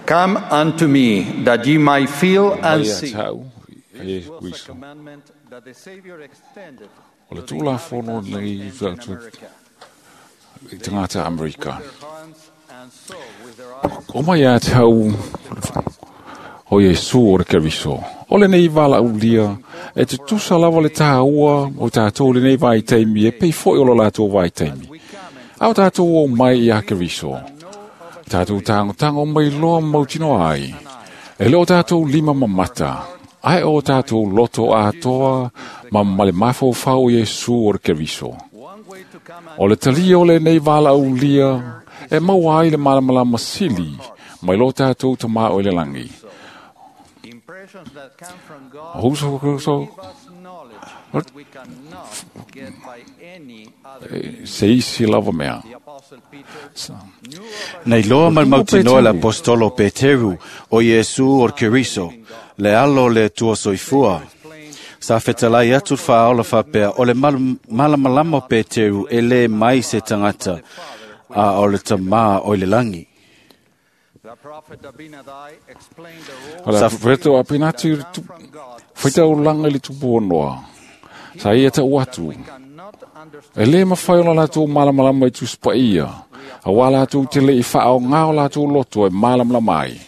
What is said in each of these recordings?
Come unto me, that ye might feel and Mai see. tau e This was a Kristo. commandment that the Savior extended O le to the tulafono inhabitants of lenei ancient tatou America. i tagata Amerika. With their hands and saw with their eyes O mai a tau o Iesu o le Keriso. O lenei valaulia e te tusa lava le tāua o tātou lenei vaitaimi e pei foi o lo latou vaitaimi. we come and Au tātou o mai i a Keriso. Tātou tangotango mai loa mautino ai. E leo tātou lima mamata. Ai o tātou loto atoa ma male mafaufau Iesu o le Keriso. one way to come O le talia o lenei valaulia e maua ai le malamalama sili mai lo tātou tamā o le langi. impressions that come from God O huso huso give us knowledge that we cannot get by any other means. se isi lava mea. The Apostle Peter knew of Nei loa O mal tumu mautinoa le Peteru. apostolo Peteru o Iesu o Keriso, le alo le tua soifua. Sa fetalai atu le faaola faapea o le malamalama o Peteru e le mai se tagata a o le tamā o i le lagi. the prophet Abinadi explained the role O le profeta a Pinati that come from God whaitau langa i le tupu o noa. Sa ia tau atu. cannot understand E le mawhai o la latou malamalama i tuspaia. A wā latou te le i whaao ngā o latou loto e malamalama ai.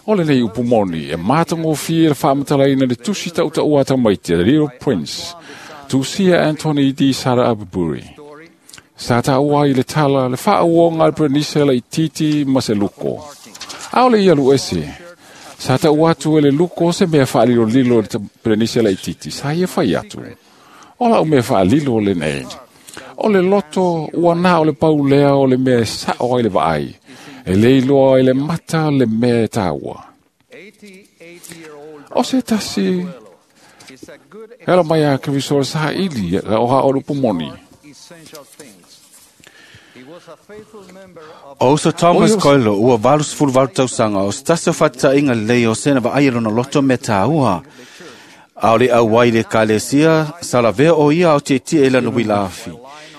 O le nei upu moni, e mātangofie le whaamatalaina le tusi tau ata mai te Little Prince, Tusia Anthony D. Sara Abuburi. story Sa tāua i le tala, le whaauonga le Prenise le i titi ma se luko. Ao le ia lu ese. Sa tāua atu e le luko se mea whaalilo lilo le Prenise le i titi. Sa ia whai atu. O la o mea whaalilo le nei. O le loto, ua nā o le paulea o le mea e sao ai le vaai. E leiloa i le mata le mea e tāua. 88-year-old O se tasi, is a good hela mai a Keriso le saha ili, o ha o le pumoni. essential things. He was a faithful member of O uso Thomas O Iesu. Coelho ua 88 tausaga o se tasi o fa'ataʻiga lelei o sena va'ai e lona loto me tāua. A o le auai le ekalesia sa lavea o ia ao tietie i lana uila afi.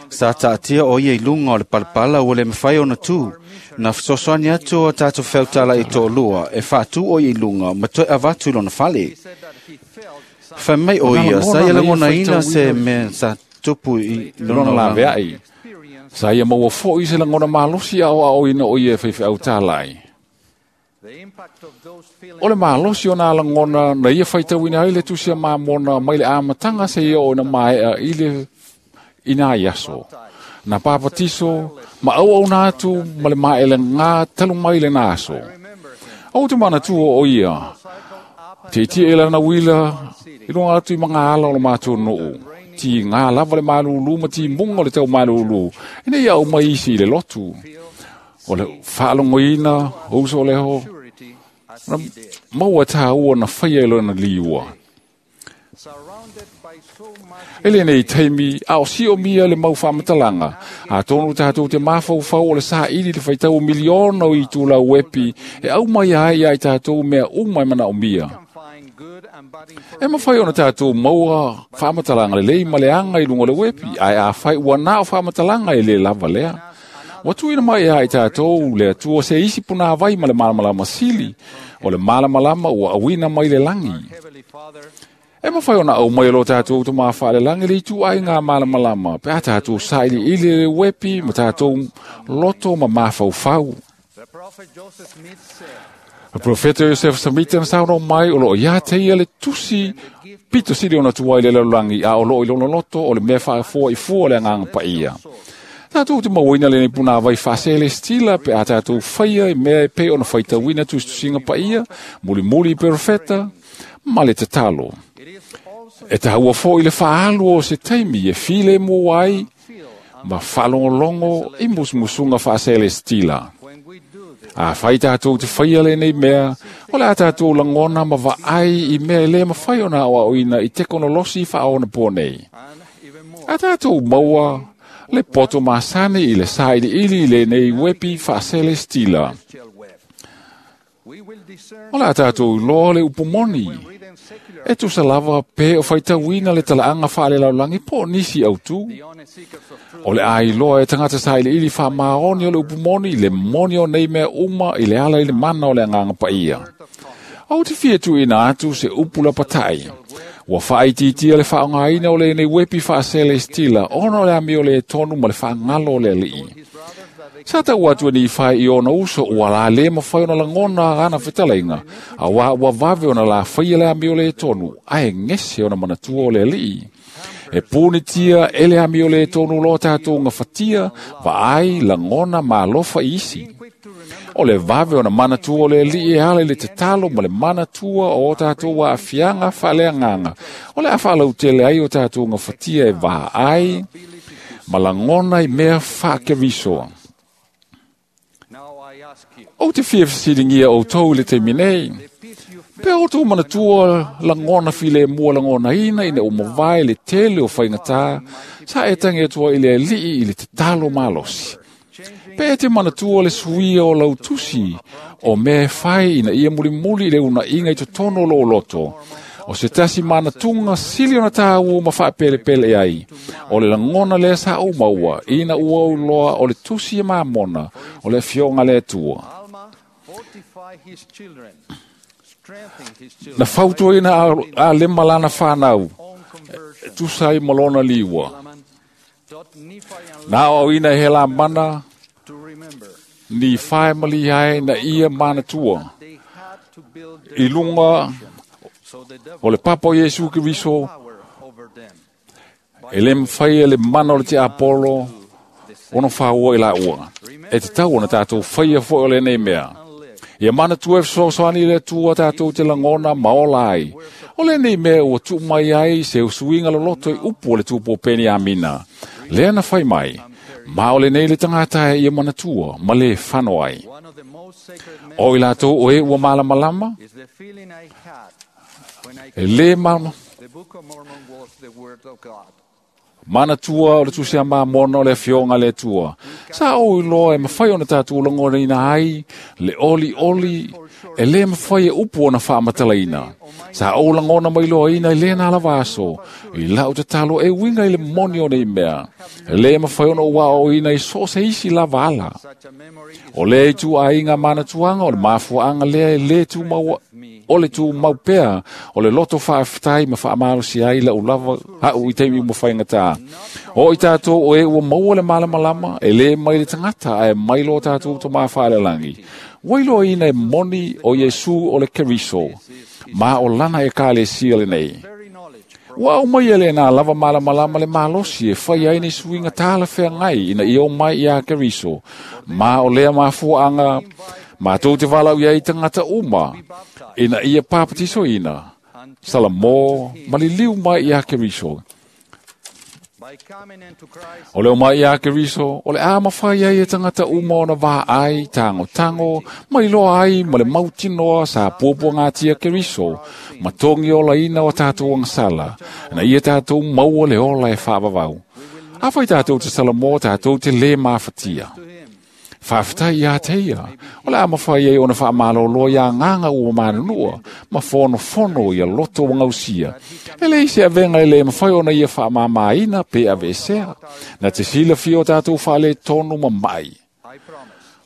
Sa ta'atia o ia i luga o le palapala ua le mafai ona tū. Na fesoasoani atu o tatou feutala i to'alua e fa'atū o ia i luga ma toe avatu i lona fale. said that he felt some Fai mai o ia sa ia lagonaina se mea sa tupu i Lona lona la laga. veai. experience Sa ia maua foi se langona malosi ao ao ina o ia e whaiwhi au tālai. the impact of those feelings O le malosi o nā langona na ia whaitauina ai le tusia māmona mai le amatanga se ia o na maea i le i nā iaso. Na pāpatiso, ma au au nā atu ma le maele ngā talu mai le nā aso. O te mana tua o ia, te tia e lana wila, i lunga atu i mga ala o le mātou noo. Ti ngā lava le malulu ma ti munga o le tau malulu. Ina ia au mai isi i le lotu. O le whaalongoina, o uso o leho, purity as na he did. maua tāua na whaia i lona liua. Surrounded by so much E le nei taimi, a o sio mia le mau whaamatalanga. A tonu tātou te mawhauwhau o le sa ili le whaitau miliona o i tūla wepi, e au mai ai ai tātou mea umai mana o mia. can find good and bad E mawhai ona tātou maua whaamatalanga le lei ma le anga i lunga o le wepi, ai a whai ua nā o whaamatalanga i le lava lea. Wa tuina mai ai tātou le atua se isi puna vai ma le malamalama sili, o le malamalama ua awina mai le langi. Heavenly Father E mawhai ona au mai lo tātou te mawhaale langi le itu ai ngā malamalama, pe a tātou saili ili le wepi ma tātou loto ma mawhauwhau. the prophet Joseph Smith said Le profeta Joseph Smith na sauno mai o lo ia te ia le tusi pito sili ona tuai le lalulangi a o lo i lona loto o le mea whaafoa i fua le anganga pa ia. Tātou te mauina le puna vai whaasele stila pe a tātou whaia i mea e pe ona whaitauina tusinga pa ia, muli muli i profeta, ma le tatalo. it is also E tāua fo i le whaalu o se taimi e file mō ai, feel ma whalongolongo i musumusunga whaasele stila. when we do this A whai tātou te whaia le nei mea, o le a tātou langona ma vaai i mea e le mawhai ona o aoina i tekonolosi whaona pō nei. and even more A tātou maua le poto masani i le saili ili i le nei wepi whaasele stila. celestial web. We will discern O le a tātou loa le upumoni. when reading secular E tusa lava pe o faitauina le talaaga faalelaulagi po o nisi autū. O le ailoa e tagata sailiili faamaoni o le upu moni le moni o nei mea uma i le ala i le mana o le agaga paia. Ou te fia tuuina atu se upu lapatai. Ua faaitiitia le faaaogaina o lenei uepi faaselestila ona o le amio lē tonu ma le faagalo o le alii. Sa tau atu e Nifai i ona uso ua la lē mafai ona lagona ana fetalaiga, auā ua vave ona lafaia le amio lē tonu, ae gese ona manatua o le alii. E punitia e le amio lē tonu lo tatou gafatia, vaai, lagona ma alofa i isi. O le vave ona manatua o le alii e ala i le tatalo ma le manatua o o tatou aafiaga faaleagaga, o le a faalautele ai o tatou gafatia e vaai ma lagona i mea faakeriso. Ou te fia fesiligia outou i le taimi nei, pe outou manatua lagona filemu lagonaina ina ua mavae le tele o faigatā sa e tagi atu ai i le alii i le tatalo malosi. Pe e te manatua le suia o lautusi o mea e fai ina ia mulimuli i le unaiga i totonu o lou loto, o se tasi manatuga sili ona tāua ma faapelepele ai, o le lagona lea sa ou maua ina ua ou iloa o le tusi e mamona o le afioga a le Atua. Na fautuaina Alema lana fanau e tusa ai ma lona liua. Na aoaoina e Helamana Nifai ma Lihae na ia manatua i luga o le papa o Iesu Keriso, e lē mafai e le mana o le tiapolo ona faua i laua. E tatau ona tatou faia foi o lenei mea. Ia manatua e fesoasoani i le Atua tatou te lagona ma ola ai. O lenei mea ua tuu mai ai se usuiga loloto i upu o le tupu o Peniamina. Lea na fai mai, ma o lenei le tagata e ia manatua ma lē fano ai. O i latou o e ua malamalama, e lē manatua o le tusi a Mamona o le afioga a le Atua. Sa ou iloa e mafai ona tatou lagonaina ai le olioli e lē mafai e upu ona faamatalaina. Sa ou lagona mai loaina i lena lava aso, i lau tatalo e uiga i le moni o nei mea. E lē mafai ona ou aoaoina i so o se isi lava ala. O lea ituaiga manatuaga o le mafuaaga lea e lē tumau o le tumau pea o le loto faafetai ma faamalosi ai lau lava au i taimi uma faigatā. O i tatou o e ua maua le malamalama, e lē mai le tagata ae mai lo tatou Tamā Faalelagi. Ua iloaina e moni o Iesu o le Keriso, ma o lana ekalesia lenei. Ua aumaia lenā lava malamalama le malosi e faia ai ni suiga talafeagai ina ia omai iā Keriso, ma o lea mafuaaga matou te valaau i ai tagata uma ina ia papatisoina, salamō ma liliu mai iā Keriso. O le omai iā Keriso, o le a mafai ai e tagata uma ona vaai, tagotago, ma iloa ai ma le mautinoa sa puapuagatia Keriso, ma togi olaina o tatou agasala, na ia tatou maua le ola e faavavau. Afai tatou te salamō, tatou te lē mafatia. Faafetai iā te ia, o le a mafai ai ona faamalōlō iā agaga ua manunua, ma fonofono ia loto ua gausia. E leai se avega e lē mafai ona ia faamāmāina pe aveesea, na te silafia o tatou faaletonu ma ma'i.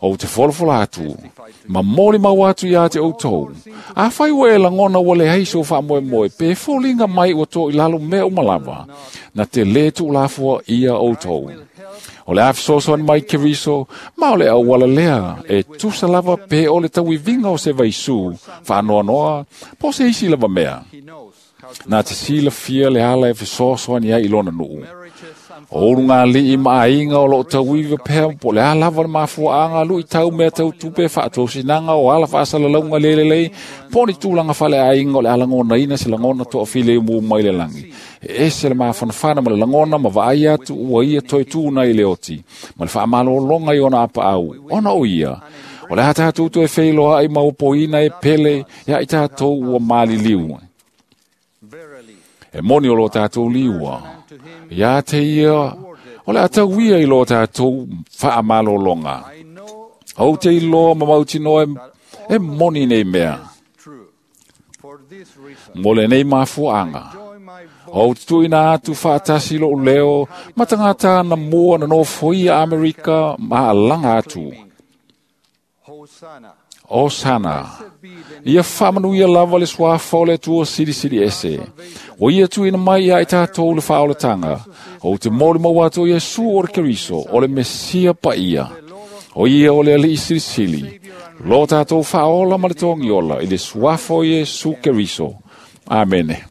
Ou te folafola atu, ma molimau atu iā te outou. Afai ua e lagona ua leai sou faamoemoe, pe foliga mai ua to i lalo mea uma lava, na te lē tuulafoa ia outou. O le a fesoasoani mai Keriso, ma o le auala lea e tusa lava pe o le tauiviga o se vaisū, faanoanoa, po o se isi lava mea. Na te silafia le ala e fesoasoani ai i lona nuu. O ulugalii ma aiga o loo tauiva pea po o le a lava le mafuaaga luitau mea tau tupe faatosinaga o ala faasalalauga le lelei po o ni tulaga faleaiga o le a lagonaina se lagona toafilemu mai le lagi. E ese le mafanafana ma le lagona ma vaai atu ua ia toe tū i le oti ma le faamalōloga i ona apaau ona o ia. O le a tatou toe feiloai ma opoina e pele ia i tatou ua maliliu. E moni o lo tatou liua. Ia te ia, o le a tauia i lo tatou faamalōloga. Ou te iloa ma mautinoa e moni nei mea. Mo lenei mafuaaga, ou te tuuina atu faatasi lo'u leo ma tagata na mua na nofoia Amerika ma alaga atu. Osana. Ia faamanuia lava le suafa o le Atua Silisili Ese. Ua ia tuuina mai ia i tatou le faaolataga. Ou te molimau atu o Iesu o le Keriso, o le Mesia paia. O ia o le Alii Silisili. Lo tatou faaola ma le togiola i le suafa o Iesu Keriso. Amene.